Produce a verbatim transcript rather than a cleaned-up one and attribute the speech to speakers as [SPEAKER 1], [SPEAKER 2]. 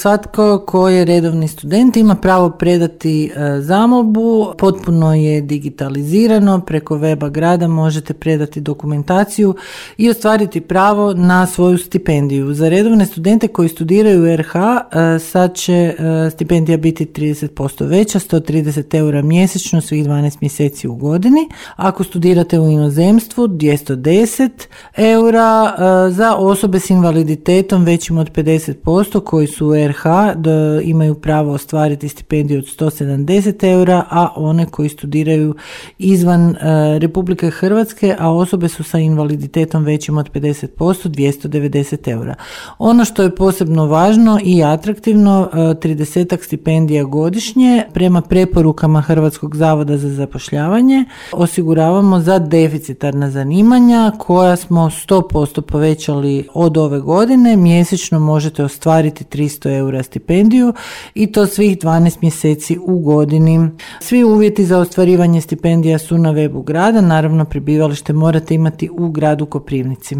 [SPEAKER 1] Svatko ko je redovni student ima pravo predati e, zamolbu, potpuno je digitalizirano, preko weba grada možete predati dokumentaciju i ostvariti pravo na svoju stipendiju. Za redovne studente koji studiraju u R H e, sad će e, stipendija biti trideset posto veća, sto trideset eura mjesečno svih dvanaest mjeseci u godini. Ako studirate u inozemstvu, dvjesto deset eura, e, za osobe s invaliditetom većim od pedeset posto koji su u R H da imaju pravo ostvariti stipendiju od sto sedamdeset eura, a one koji studiraju izvan e, Republike Hrvatske, a osobe su sa invaliditetom većim od pedeset posto, dvjesto devedeset eura. Ono što je posebno važno i atraktivno, e, trideset stipendija godišnje prema preporukama Hrvatskog zavoda za zapošljavanje osiguravamo za deficitarna zanimanja koja smo sto posto povećali od ove godine. Mjesečno možete ostvariti tristo eura stipendiju i to svih dvanaest mjeseci u godini. Svi uvjeti za ostvarivanje stipendija su na webu grada, naravno prebivalište morate imati u gradu Koprivnici.